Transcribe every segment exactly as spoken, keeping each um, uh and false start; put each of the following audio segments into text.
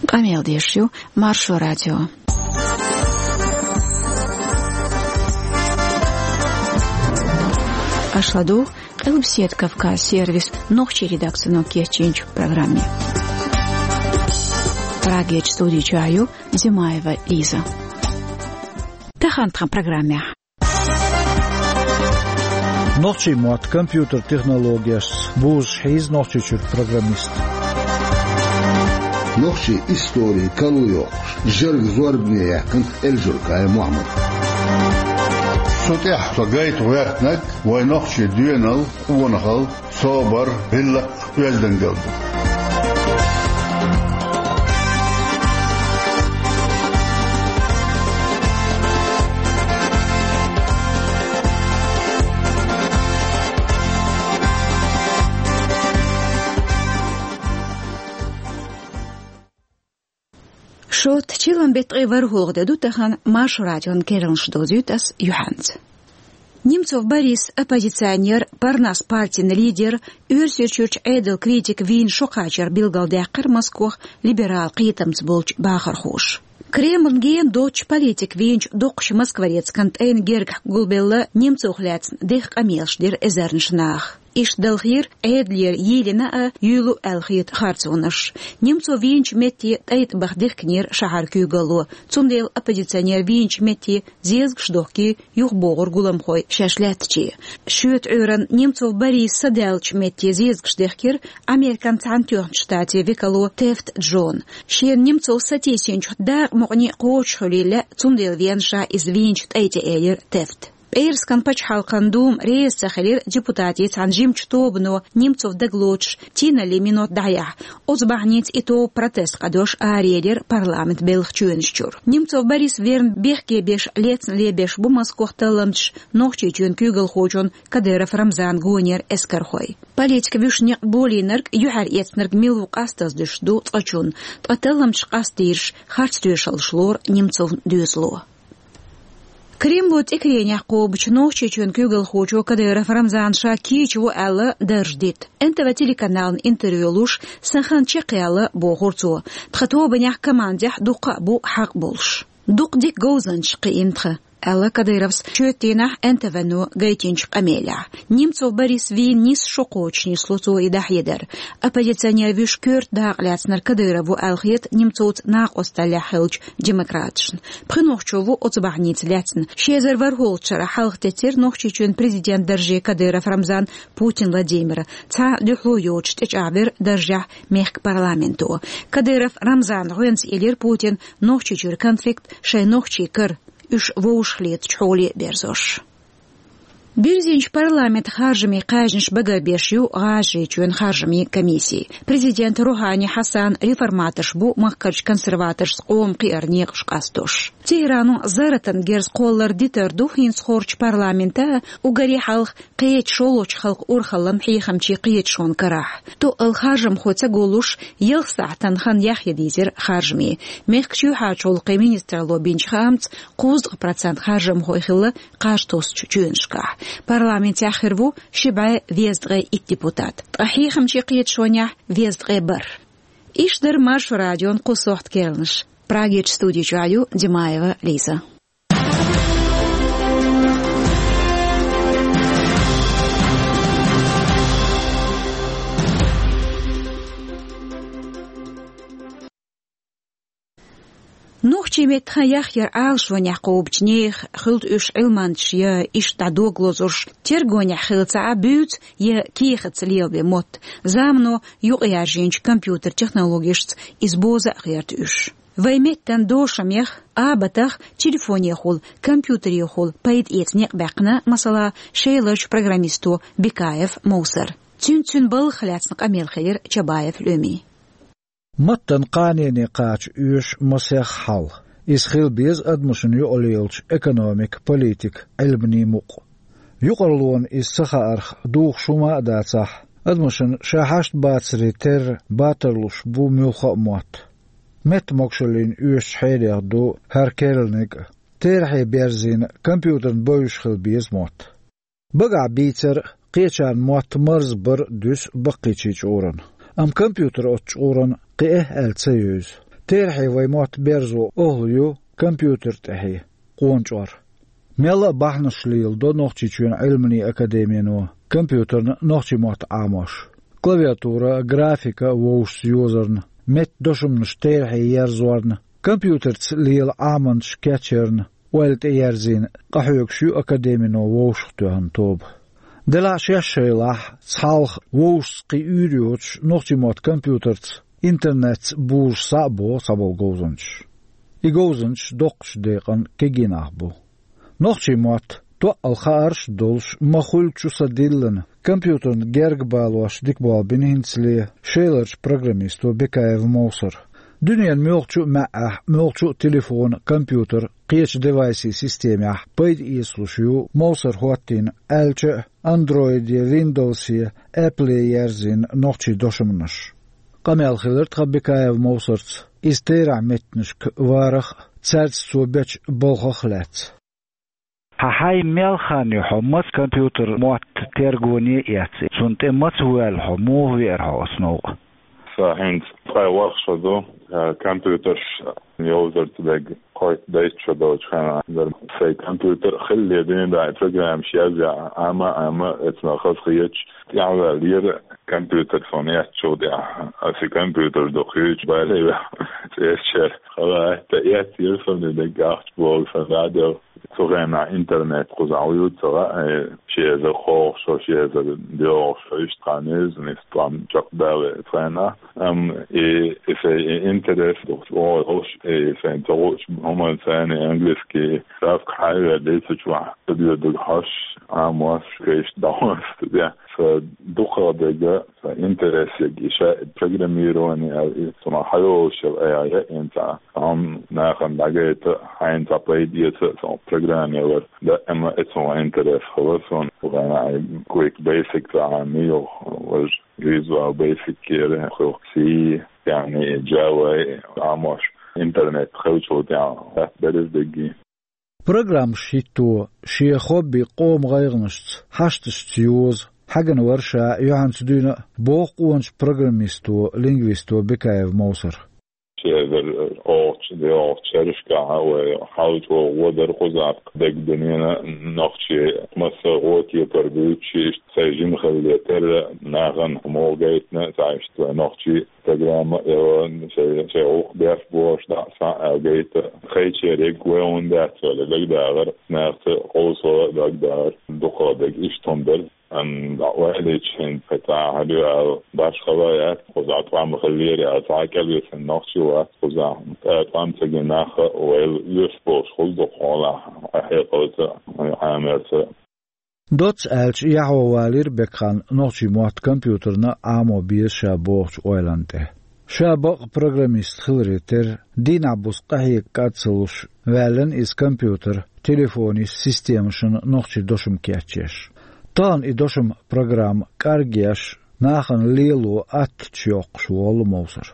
Къамел деш ю Маршо радио. Аша ладугӀу Къилбаседа Кавказ сервисан нохчийн редакцино кечйинчу программе. Прагерчу студи чохь ю Димаева Лиза. Тахана тхан программехь. Нохчийн мотт компьютер технологешца бузуш хьийза Нохчийчуьра программист. Нохчийн историн калу йоккхуш, жӀарг зорбане яьккхина Эльжуркаев Мухьаммад. Цу тӀехь со гайта гӀоьртинарг вайн нохчийн доьналла, къонахалла, собар, гӀиллакх, оьздангалла ду. Шот, чиллан беттан ткъе ворхӀалгӀа де ду тахана, Маршо радион керланаш довзуьйту ас юьхьанца. Немцов Борис, оппозиционер, Парнас партин лидер, Оьрсийчуьрчу Ӏедалан критик вийна шо кхачар билгалдаьккхира Москох либерал кхетамца болчу бахархоша. Кремлна гена доцучу политик вийначу доккхачу москворецкан тӀайна гергахь гулбелла Немцовх лаьцна дехха къамелаш дира эзарнаш наха. Иштта далхийра Ӏедалера йийлина а, юьйлу аьлла хета харцонаш. Немцов вийначу метте тӀай тӀе баха дихкинера шахьаран куьйгалло, цундела оппозиционер вийначу метте зезагаш дохкий юхабогӀура гуламхой шаьш лаьттаче. Шоьтан Ӏуьйранна Немцов Борис садаьллачу метте зезагаш дехкира Американ Цхьаьнатоьхначу Штатийн векало Тефт Джона. Шена Немцов сатийсинчух дакъа мукъане кхочушхуьлийла, цундела веана ша иза вийначу тӀай тӀе, элира Тефта. ПӀераскан пачхьалкхан дума реза ца хилира депутатийн цхьана жимачу тобано Немцов дагалоцуш тийналлин минот дӀаяхьа. Оцу бахьаница и тоба протест къадош араелира парламент белхан чоьнаш чуьра. Немцов Борис верна бехке беш лецна лебеш бу Москох талламчаш Нохчийчоьнан куьйгалхочун Кадыров Рамзанан гонера эскархой. Политик вуьшта некъ болийнарг, юьхьар эцнарг мила ву къастаза дуьсуш ду цкъачунна, ткъа талламчаш къастийраш харц тоьшаллаш лору Немцовн доьзало. Кремло тӀекаренехь кхобучу Нохчийчоьнан куьйгалхочо Кадыров Рамзана ша кийча ву аьлла дарж дита. Н Т В телеканална интервью луш, сан хан чекхъяьлла, бохура цо. Тхан тобанехь, командехь дуккха а бу хьакъ болуш. Дукха дика говзанчаш кхиъна тхан, аьлла Кадыровс шоьтан дийнахь Н Т В-но гайтинчу къамелехь. Немцов Борис вийна нисса шо кхочуш нисло цо и дӀахьедар. Оппозиционер вуьш коьрта дакъа лаьцнарг Кадыров ву аьлла хета Немцовца накъосталлехь хиллачу демократашна. Пхи нохчо ву оцу бахьаница лаьцна. Ши эзар ворхӀалгӀачу шарахь хьалха теттира Нохчийчоьнан президентан дарже Кадыров Рамзан Путин Владимира. Цхьа а дуьхьало йоцуш тӀечӀагӀвира даржехь мехкан парламенто. Кадыров Рамзана гӀоьнца элира Путина Нохчийчуьра конфликт шайн нохчий кара, уьш вовшахлетачу хьоле а берзош. Бирзинчу парламентан харжамийн кхаьжнаш багарбеш ю ГӀажарийчоьнан харжамийн комисси. Президент Рухани Хьасан реформаторш бу махкарчу консерваторшца къоман кхиаран некъаш къастош. Тегерано зарратан герз кхоллар дитар ду хӀинца хоржучу парламентан а, уггаре хьалха кхечу шолгӀачу халкъан урхаллан хьехамчийн кхеташонан карахь. Тоъал харжамхой ца гуллуш, ялх сахьтана хан яхъян дийзира харжамийн. Мехкан чоьхьарчу гӀуллакхийн министралло бинчу хаамца, кхузткъа процент харжамхой хилла кхаж тосучу чоьнашкахь. Парламентехь хир ву ши бӀе везткъе итт депутат, ткъа хьехамчийн кхеташонехь везткъе бархӀ. Иштта дара Маршо радион кху сохьтан керланаш. Прагерчу студи чохь ю Димаева Лиза. Нохчийн меттан хан яхъяр Ӏалашонехь кхобучу нехан, хуьлда уьш Ӏилманчаш я иштта дӀа дог лозурш, тергонехь хилла ца Ӏа буьйцу я кехатца лелабен мотт, замано юкъаяржийначу компьютер технологешца иза боза а гӀерта уьш. Вайн меттан дошамех, абатах телефонехула, компьютерехула пайда эца некъ баьккхина, масала, Шеларчу программисто Бекаев Мовсара. Цуьнца цуьнан балхах лаьцна къамел хилира Чабаев Лемин. Маттан кхане кхача оьшу масех хьал. Иза хила беза адамашна юкъа лелачу экономикан, политикан, Ӏилманийн мукъ. Юкъараллина иза ца хаарх духуш хӀума а дацахь, адамашна ша хьашт бацаре терра батарлуш бу муьлхха а мотт. Меттан могушаллина оьшучу хьелех ду хӀара керланиг а. Терахье берзийна компьютерна бовзуш хила беза мотт. Багахь бийцар а, кхечарна мотт марзбар а дуьсу баккхийчийн чкъурана. Амма компьютер оцу чкъурана кхиа аьлла ца евза. Терахье вай мотт берзо охӀла ю компьютер тӀехье, къона чӀор. Мелла а бахьанаш леладо Нохчийчоьнан Ӏилманийн академино компьютерна нохчийн мотт Ӏамош. Клавиатура а, графика а вовшашца йозарна, меттан дошамаш терахье ерзорна, компьютерца лела Ӏаманаш кечъярна ойла тӀеерзийна къахьоьгуш ю академино вовшахтоьхна тоба. Делахь а шаьш шайлахь, цхьалха вовшашца кхин уьйр йоцуш нохчийн мотт компьютерца, интернетца бузуш схьа а боху цхьаболу говзанчаш. И говзанчаш доккхачу декъана кегий нах бу. Нохчийн мотт, тоъал хаарш а долуш, ма-хуьллу чу са диллина, компьютерна герга балош дика болх бина хӀинцале шеларчу программисто Бекаев Мовсара. Дуьненан муьлххачу а маьӀӀехь, муьлххачу а телефона, компьютера, кхечу девайсийн системехь пайда эцалуш ю Мовсара хӀоттийна, аьлча а, Android-е, Windows-е, Apple-е ерзийна нохчийн дошамнаш. Къамел хилира тхан Бекаев Мовсарца иза терахьчу меттанашка варах а, цаьрца цо бечу балхах а лаьцна. Хьан хьайн мел хан ю хьо маца компьютер мотт тергоне а эцна, цунна тӀе маца воьлла хьо, муха веара хьо оцу новкъа? Сан хӀинца ткъе ворхӀ шо ду, компьютерш йовзар ца дерг кхойтта-дейтта шо долчу хенахь дара. Сайн компьютер хиллале дуьйна дӀа программаш язъян, амма, амма, эцна хазахеташ тӀаьхьаваьллера компьютер суна эцначул тӀаьхьа. Аса и компьютер дукха юьйцуш бале вехь, цӀерачара хала а, тӀаьхьа эцнера суна и дерг ахча бохуш сан дӀа а делла. Цу хенахь интернет кхузахь вуьйцуш ца хаьа, ши эзар кхоалгӀа шо, ши эзар доьалгӀа шо иштта хан еза, иза тӀом чекхдале цу хенахь. Амма и, и сайн и интерес духуш, оха долуш, и сайн ца хуучу хӀуманца, и английский схьа а вер дийца чохь, ца доьдург хьош, Ӏамош, кхечу дӀахьош ца де. Сан дукхах дерг, сан интерес ерг и ша программирование аьлла, и ца ма хьайолуш яла, айхьа яа, хӀинца а хӀума нахана дӀагайта, хьайна цхьа пайда эца а, сан программировать дан а, амма эцна интерес хилла суна. Вайн ай Quick Basic цхьа хӀума ю, важа Visual Basic-ера хилла, C, яъни Java, Ӏамош, интернет хилчул тӀаьхьа латтабелира дерриге. Программаш хӀитто, шен хобби къоман гӀайгӀанашца, хьашташца йоза, хьаьгна вара ша юьхьанца дуьйна а, боху къоначу программисто, лингвисто Бекаев Мовсара. Ши эзар кхоалгӀачу, доьалгӀачу шерашкахь вай хьал чӀогӀа гӀо дара кхузахь, дерг дуьненан нохчий массо а гӀо, кепара буьйцуш, иштта сайн жима хиларе терра, нахана муха гайтина, цхьа иштта вай нохчий программа а йо, шайн, шайн гӀуллакх беш болуш дӀа а, схьа а гайта, кхечериг вай хӀунда дац аьлла дагадогӀура, нахаца къовсо а дагадогӀура, дукхах дерг иштта хӀума дара. Амма дӀа а ваьллича, хӀинца кхин цхьа хӀума ю аьлла, башхалла а яц, кхузахь тӀом хиллера аьлла, цхьа а кӀелвисина нохчи вац кхузахь, ткъа тӀом ца гина нах а вайл оьшуш болуш хуьлу дукха хьолахь, къахьекъалца а, Ӏамарца а. Доцца аьлча, яхьо валийра Бекхан нохчийн мотт компьютерна а Ӏамо беза ша бохучу ойланна тӀе. Ша бакъ программист хиларе терра, дийнахь-буса къахьега кӀад ца луш, ваьллина иза компьютер, телефонийн системашна нохчийн дошам кечъеш. Тахана и дошам, программа кӀаргъеш, нахана лело аттачу йоккхуш волу Мовсар.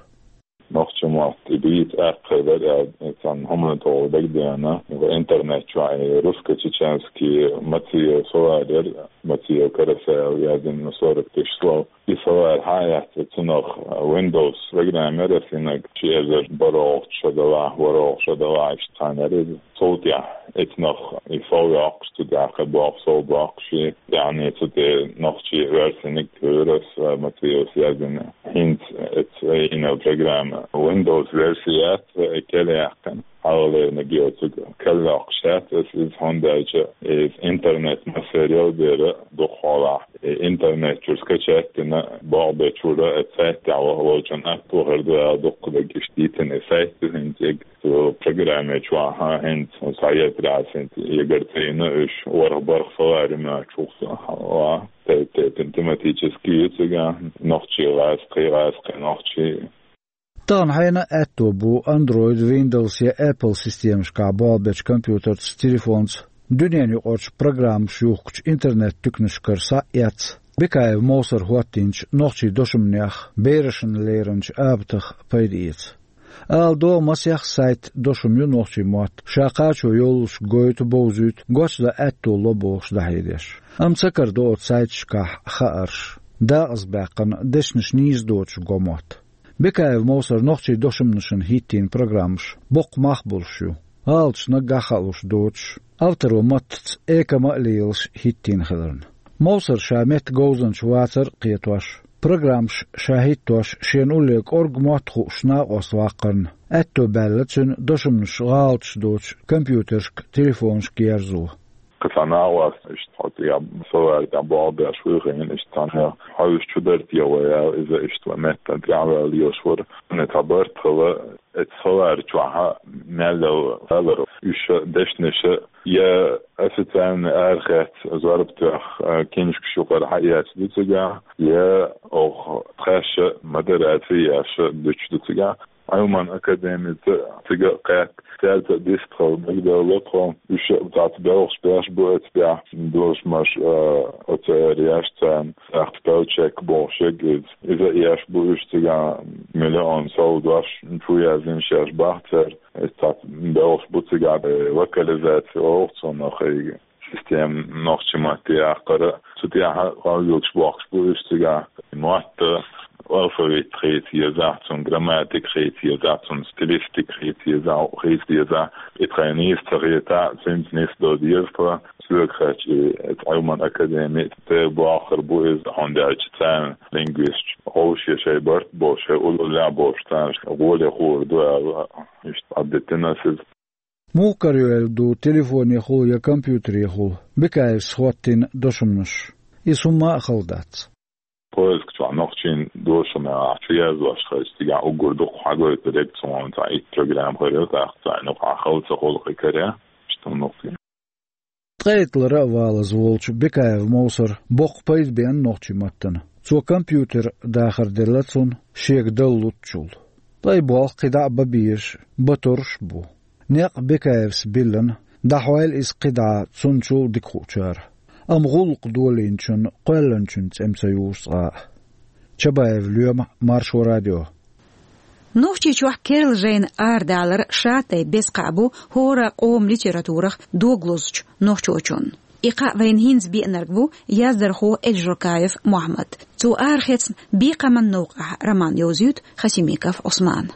Нохчийн мотт и бийца аьккхий дара аьлла, цхьана хӀуманна тӀехула дагадеана, интернет чохь и русско-чеченский Мациев словарь яра, Мациев Карасаев яздина сорок тысяч слов. И словарь хьа а эцна, цунах Windows программа яра, синаг ши эзар бархӀалгӀачу шо делахь, ворхӀалгӀачу шо делахь, иштта цхьаьна яра иза. Цул тӀаьхьа эцнах и сов йоккхуш, цу тӀехь кхин боккха сов боккхуш, яъни цу тӀе нохчийн версиниг туьйра аса, Мациевс яздина. ХӀинца эцна йина программа Windows верси яц, кел яьккхина. Хьалхалерниг йоцург кел йоккхуш яц аса иза, хӀунда аьлча иза интернет массеран дера дукха хьолахь. И интернет чуьра скачать дина, болх бечуьра, сайт тӀехь ваха волчун атто хир ду аьлла, дуккха дерг иштта дийцина и сайт ду хӀинца. Цу программе чохь хӀинца схьаетарехь, хӀинца егара ца йина уьш, ворхӀ-бархӀ словарь ю моьттуш ву-кх сан хьалха. Тайп-тайпана тематический ю цигахь, нохчийн гӀазкхий, гӀазкхийн нохчийн. Тахана хьенан а аьтто бу Android, Windows я Apple системашкахь болх бечу компьютерца, телефонца, дуьненаюкъарчу программаш юхкучу интернет-туьканашкара схьа а эцна, Бекаев Мовсара хӀоттийначу нохчийн дошамнех, берашна леринчу абатах пайда эца. Ала догӀу, масех сайт, дошам ю нохчийн мотт, ша кхачо йоллуш гойту, бовзуьйту, гочдан аьтто ло бохуш дӀахьедеш. Амма ца карадо оцу сайташкахь хаарш, дакъазбаьккхина, дешнаш нийса доцуш го мотт. Бекаев Мовсар нохчийн дошамашна хӀиттийна программаш боккха мах болуш ю, гӀалаташ наггахь а хаалуш доцуш, авторо маттаца экама а лелаш хӀиттийна хиларна. Мовсар ша метта говзанча вацар а кхетош, программаш ша хӀиттош, шена улле кӀорга мотт хууш накъост ваккхарна, аьтто баьлла цуьнан дошамаш гӀалаташ доцуш компьютерашка, телефонашка ерзо. Кхин цхьа накъост иштта хьо тӀехь, со ваьлла тӀехь болх беш вуй хиъна, иштта цхьаьна хьовсуш чу дара те вай аьлла, иза иштта вай меттана тӀаьхьаваьлла йолуш вара. Цхьа барт хилла, эцу ховар чохь мел лелла хилар. Уьш дешнаш я официальный арахецна зорба тоьхна, киншкаш юкъара хьаэцна ду цигахь, я оха тхаьш модераци еш дуьтуш ду цигахь. Ӏилман академица цига а кхетта, цаьрца а дистхила дагадевлла тхо, уьш а цхьацца белхаш беш бу эцу тӀехь, дошамаш, а, оцу эр еш царна, сахьт пелчек бохуш ерг иза. Иза а еш бу уьш цигахь, миллион сов дош чу яздина шаьш бахцара. Иза цхьацца белхаш бу цигахь, э, локализация олу цунах, и система нохчийн матте яккхара. Цу тӀехь къовлуьйтуш бохкуш бу уьш цигахь. Мотт, алфавит хийца езахь, цуьнан грамматика хийца езахь, цуьнан стилистика хийца езахь, хийца езахь. И тхайн нийса ца хетахь, цуьнца нисдо деза тхо. Соьга хаьттича, и Ӏилман академи тӀе бохур бу иза, хӀунда аьлча царна лингвисташ, ховший шайн барт болуш, шайн уллехь болуш царна гӀоле хуур ду аьлла, иштта дӀадитина ас иза. Муха карайоьлла ду, телефонехула я компьютерехула Бекаевс хӀоттийна дошамаш? Иза хӀумма а хала дац. Поиск чохь нохчийн дошамех чу яздеш хилча, цигахь уггар дукха хьагойтур ерг цунна цхьа итт программа хир ю, тӀаккха царна юкъахь хала ца хуьлу кхин каре, иштта хӀума ю. Ткъе итт лара а валаза волчу Бекаев Мовсара боккха пайда беана нохчийн маттана. Цо компьютер дахар делла цунна, шега дала луттучул. Ткъа и болх кхидӀа а бан безаш, бан тарлуш а бу. Некъ Бекаевс биллина, дӀахьойла иза кхидӀа цунначул а дика хуучара. Амма гӀуллакх долийначунна кхоьллинчун цӀе ца юзу цкъа а. Чабаев Лоьма, Маршо радио. Нохчийчохь керла жайна арадалар шатайпа беза кхаъ бу хӀора къоман литературах дог лозучу нохчочунна. И кхаъ вайна хӀинца беанарг ву яздархо Эльжуркаев Мохьмад. Цо арахецна «Бекхаман новкъахь» роман йовзуьйту Хасимиков Ӏусмана.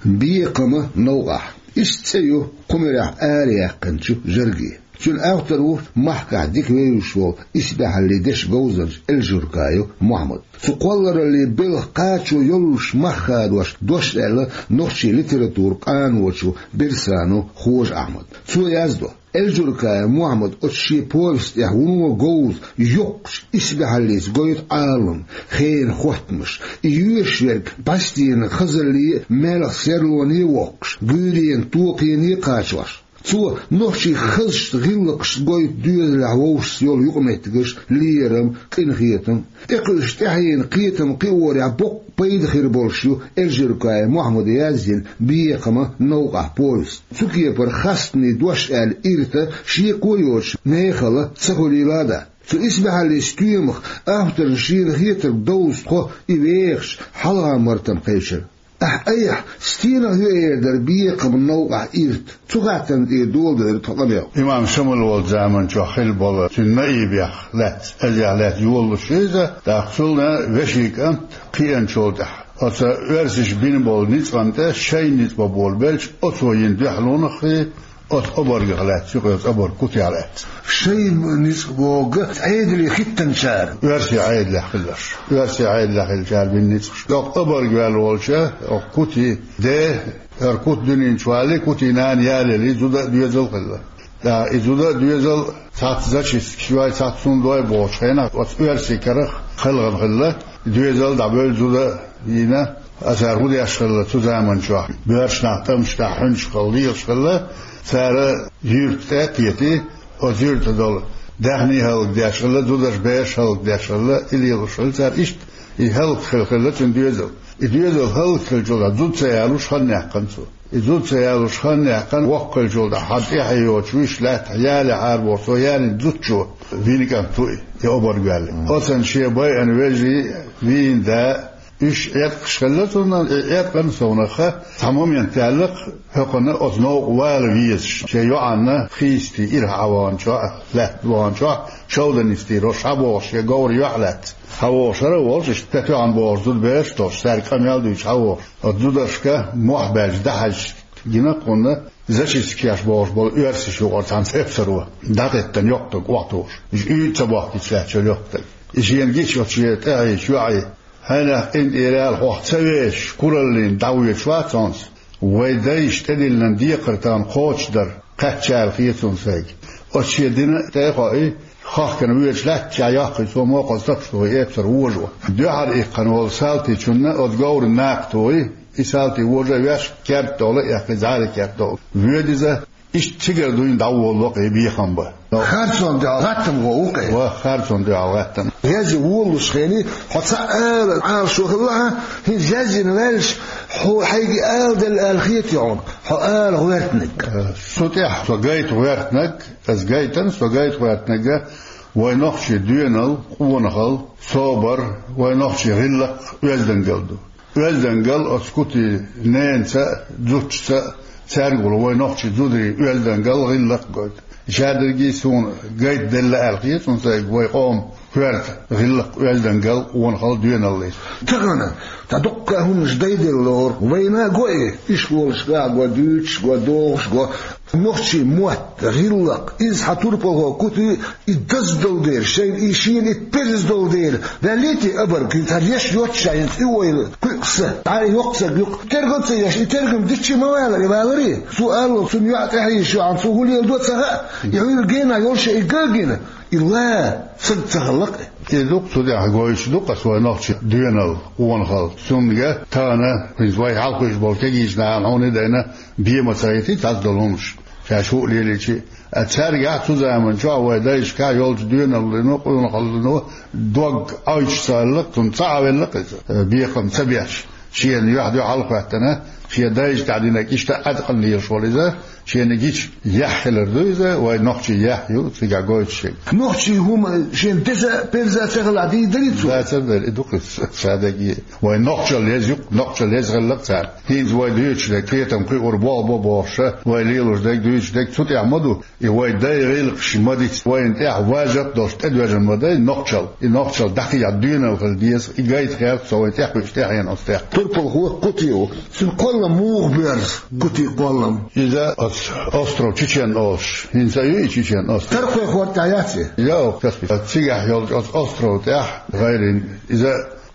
«Бекхаман новкъахь». Иштта цӀе ю кху муьрехь араяьккхинчу жӀарге. Цуьнан автор ву махкахь дика вевзаш волу исбаьхьаллин дешан говзанча Эльжуркаев Мохьмад. Цу кхоллараллин белхан кхачо йоллуш мах хадош дош аьлла нохчийн литературан къаночо Берсанов Хожа-Ахьмада. Цо яздо: Эльжуркаев Мохьмад оцу шен повесть тӀехь вуно говза, йоккхачу исбаьхьаллица гойту Ӏалам, хенан хоттамаш. И йоьшуш верг бӀаьстенан хазалле а, маьлхан серлоне а воккхуш, гуьйренан токхене а кхачош. Цо нохчийн хазачу гӀиллакхашца гойту доьзалехь вовшашца йолу юкъаметтигаш, лерам, къинхетам. ТӀекхуьуш тӀаьхьенан кхетам кхиорехь боккха пайда хир болуш ю Эльжуркаев Мохьмада язйина «Бекхаман новкъахь» повесть. Цу кепара хастане дош аьлла ирта шеко йоцуш мехала ца хуьлийла а дац. Цу исбаьхьаллин стоьмах авторна шена хетарг довза тхо и вехаш, хьалха мартам кхечира. Ахь айхьа стенах ю эр дара «Бекхаман новкъахь» ирта? Цу хаттарна тӀера доладелира тхан къамел. Имам Шамал волчу заманчохь хилла болу цуьнан наибех лаьцна, цӀезех лаьцна йолалуш ю иза, тӀаккха цунна вешин кӀант кхиъначул тӀаьхьа, оцу оьрсаша бина болу ницкъан тӀе шайн ницкъ бан болабелча, оцо йина дуьхьалонах а, оцу обаргах лаьцна, юкъа йоцу обарг кутех лаьцна. Шайн ницкъ бохург Ӏедале хӀиттинчара. Оьрсийн Ӏедалехь хилларш. Оьрсийн Ӏедалехь хиллачара бина ницкъаш. ТӀаккха обарг ваьлла волча, оха кути де, хӀара кути дуьнен чу валле, кутий нана ялале, зуда а доьзал а хилла. ТӀаккха и зуда а доьзал а цхьацца зачистка йой, цхьацца хӀума дой бохучу хенахь, оцу оьрсийн карах кхелхина хилла, и доьзал а дӀабевлла, зуда а йийна, а цара хӀун деш хилла цу заманчохь? Боьрша нах тӀамашкахь хьуьнчахьа лелаш хилла, цара юьрта тӀе а кхетий, оцу юьртахь долу даьхний хӀаллакдеш хилла, зудаш, бераш хӀаллакдеш хилла, и лелош хилла цара. Иштта и хӀаллакьхилла хилла цуьнан доьзал. И доьзал хӀаллакьхилчул тӀаьхьа зуда ца ялош хан яьккхина цо. И зуда ца ялош хан яьккхина, воккха хилчул тӀаьхьа хьан тӀаьхье йоцуш вуьйш лаьттахь яле хьарабохуш, цо ялийна зудчо вийна кӀант ву и, и обарг ваьлла. Оцунна шен байъина вежарий, вийна да, Уьш Ӏеткъаш хилла цунна, и Ӏеткъан совнаха цхьа момент яьлла-кх, хӀокхунна оцу новкъа вала везаш, шен йоӀанна хийсти ирахь Ӏа ваханчохь, лаьтта ваханчохь, шовданистий рош хьабогӀуш, шен говра юьхь лаьцна хьавогӀуш хӀара а волуш, иштта тоьхна богӀуш зуда бераш а долуш, цаьрга къамел а дуьйцуш хьавогӀуш. Оцу зударшка мохь баьлча дӀахьаьжча гина кхунна, зачистка еш бохуш болу оьрсаша юкъара цхьана эпсаро дӀатеттина йоккха стаг охьатухуш. Иза уьйда ца бохкийча лаьтташ йолу йоккха стаг. И шена гича оцу шен тӀаьхьечу йоӀе: «Хьенех къинтӀера аьлла, хьох ца вешаш, кураллина дӀавоьдуш вац хьо-м со. Вай дайша тӀедиллина декхар тахана кхочушдар кхаьчча аьлла хета суна сайга». Оцу шен дина тӀе а хоуьйтуш, хахкана воьдуш лаьттачохь йоккхий цо мокхаза тапаш тухий эпсар вожо. Дуьхьал иккхина волу салтичунна оцу говран накха тухий, и салти вожа а веш, керта тӀехула а эккхий, зӀаре керта тӀе воьду иза. Иштта цигара дуьйна дӀаволало-кх и бехам бан. Харцонна дуьхьал гӀаттам гӀо ву-кх и. Ва, харцонна дуьхьал гӀаттам. Язъян волалуш хенахь, хьо цхьа ала Ӏалашо хилла хьан, хӀинца язйина ваьлча, хьо хьайга аладелла аьлла хетий хьуна, хьо ала гӀоьртинарг? Э, со тӀехь со гайта гӀоьртинарг, аса гайтина со гайта гӀоьртинарг, вай нохчийн доьналла, къонахалла, собар, вай нохчийн гӀиллакх, оьздангалла ду. Оьздангалла оцу Кутин ненаца а, зудчуьнца а, цаьргахула вай нохчийн зударийн оьздангалла, гӀиллакх гойту. Шадерриге а суна гайта делла аьлла хета суна сайга вай къоман коьрта гӀиллакх, оьздангалла, къонахалла, доьналла. Тахана цхьа дуккха а хӀуманаш дайделла лору, вайна а го и, ишколашкахь а го, дуьйцуш а го, догӀуш а го. Нохчийн мотт, гӀиллакх, иза хьан турпалхо Кути и даздалу дела, шайна и шена и пирза долу дела, ваьллий те абарг, хӀинца хӀара еш йоццушехь, хӀинца и войла кхуьукъ са, дӀа и йоккха стаг юккъе тергал ца еш, и тергам диччи ма валара, и валарий? Цо аллал, цунна йоӀ тӀаьхье йиш ю хьуна, цо хӀун леладо ца хаьа, и хьуьлла гена йолуш а и ган гина, и ла саг ца хилла-кх. И ду-кх цу тӀехь гойтуш ду-кх аса вай нохчийн доьналла, къонахалла. Цундела тахана, хӀинца вай хьалха вуьйш болу кегийчу нахана хьуна и дайна, бен ма ца хӀиттий цхьацца долу хӀуманаш, шаьш хӀуъа лелийча а. Цаьргахь цу заманчохь вай дайшкахь йолчу доьналлино, къонахаллино дог Ӏойчуш ца хилла-кх, цунна ца Ӏавелла-кх иза, бекхам ца беш. Шена юьхь-дуьхьал а хӀоьттина, шен дайша тӀехь динарг иштта а Ӏаткъам лелаш волу иза, шена гича яхь хилар ду иза, вай нохчийн яхь ю, цигахь гойтуш шега. Нохчийн хӀума шена деза а, перза а ца хилахь, дийр дарий цо? Дацар дара, и ду-кх иза, ша дерриге. Вайн нохчалла еза ю-кх, нохчалла еза хилла-кх цара. ХӀинца вай дуьйцуш дерг, кхетам кхиор болх бо бохуш, вай лелош дерг, дуьйцуш дерг, цу тӀехь ма ду. И вай дайн гӀиллакхаш ма дицци, вайна тӀехь важа а долуш тӀедоьжна ма дай нохчалла. И нохчалла дӀакхехьа доьналла хила деза, и гайта гӀерта со вайн тӀекхуьучу тӀаьхьенан оцу тӀехь. Турпалхо Кути ву. Цуьнан кхоллам муха боьрзу, Кутин кхоллам? Иза оцу остров Чечен олуш. ХӀинца а ю и Чечен остров? Тархойн хӀорда тӀехь яц и? Йо, Каспий. Цигахь йолчу оцу остров тӀехь гӀайрина. Иза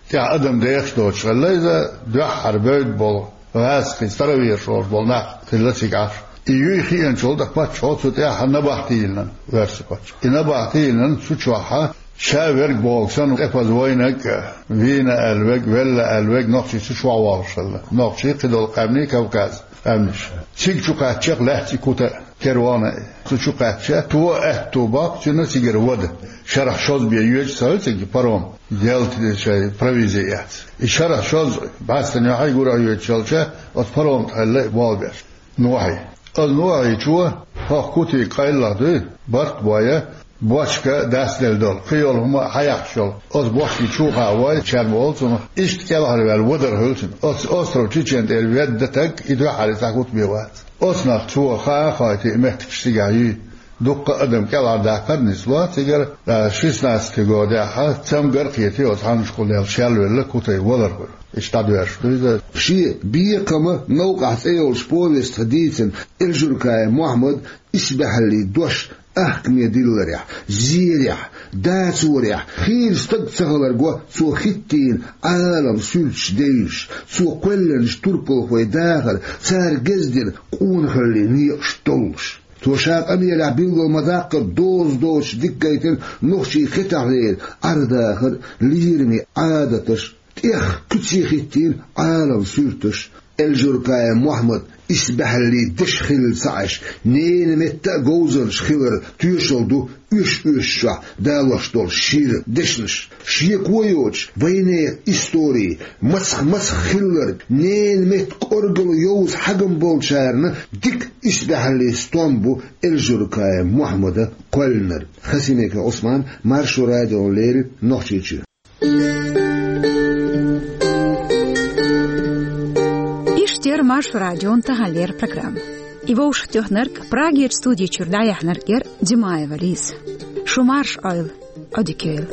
тӀехь адам дехаш доцуш хилла, иза дуьххьара бевдда болу гӀазкхий, староверш олуш болу нах хилла цигахь. И юй хиъначул тӀаьхьа паччахьо цу тӀехь набахти йиллина, оьрсийн паччахьо. И набахти йиллина, цу чохь ша верг бохург санна, тӀепаза вайнарг а, вийна аьлла верг, велла аьлла верг нохчий цу чохь вогӀуш хилла. Нохчий, кхидолу къаьмнийн, Кавказ къаьмнаш. Цига чу кхаьчча-кх лаьцна и Кути а, кервон а. Цу чу кхаьчча, цо аьтту боккху цуьнан цигара вада. Шарахь шозза бен йоьдуш ца хилла цига паром, ялта шайн провизи эцна. И шарахь шозза бӀаьстенан юьхьий гурахь йоьдуш хилча, оцу парома тӀехь хилла и болх беш. Нохчий. Оцу нохчичо хӀокху Кутига къайлаха дуй, барт а бой, бочка дастделла долу, кхин йолу хӀума а хьаяккхаш йолу. Оцу бочкин чу кхаьчча вой, чарма олу цунах, иштта кӀелхьарваьлла вадар хуьлу цуьнан. Оцу остров Чечен тӀера ведда стаг и дуьххьара цхьа хӀума бен вац. Оцунах цо хаа а хоуьйтий, и меттигаш цигахь юй. Дуккха а адам кӀелхьардаккхар а нисло цигара, а, шестнадцатый годехь цамгар а кхетий, оцу хьаннашкахула шелвелла Кути валар хуьлу. Иштта дӀадоьрзуш ду иза. Шен «Бекхам а новкъахь» цӀе йолчу повестехь дийцина Эльжуркаев Мохьмадан исбаьхьаллин дош ахкаме дилларехь, зерехь, дацорехь хийра стаг ца хилар го цо хӀиттийна Ӏалам суьрташ девзаш, цо кхоьллинчу турпалхойн дахар, цара гезгдина къонахаллин некъаш доллуш. Цо ша къамелехь билгал ма-даккхара доза доцуш дика гайтина нохчийн хетахьлера Ӏар-дахар, лераме Ӏадаташ, тӀех куьце хӀиттийна Ӏалам суьрташ. Эльжуркаев Мохьмадан исбаьхьаллин дешан хилла ца Ӏаш, ненан метта а говзанча хиларан тоьшалла ду оьш-оьшучохь далош долу шира дешнаш. Шеко йоцуш, вайнехан истори, мацах-мацах хилларг, ненан метта кӀоргало йовза хьагам болчарна дика исбаьхьаллин стом бу Эльжуркаев Мохьмадан кхоьллинарг. Хасимиков Ӏусман, Маршо радиона леррина, Нохчийчоь. Маршо радион таханлера программа. И вовшахтоьхнарг, Прагерчу студи чуьра дӀаяьхьнарг яра Димаева Лиза. Шу марша Ӏойла, Ӏодика йойла.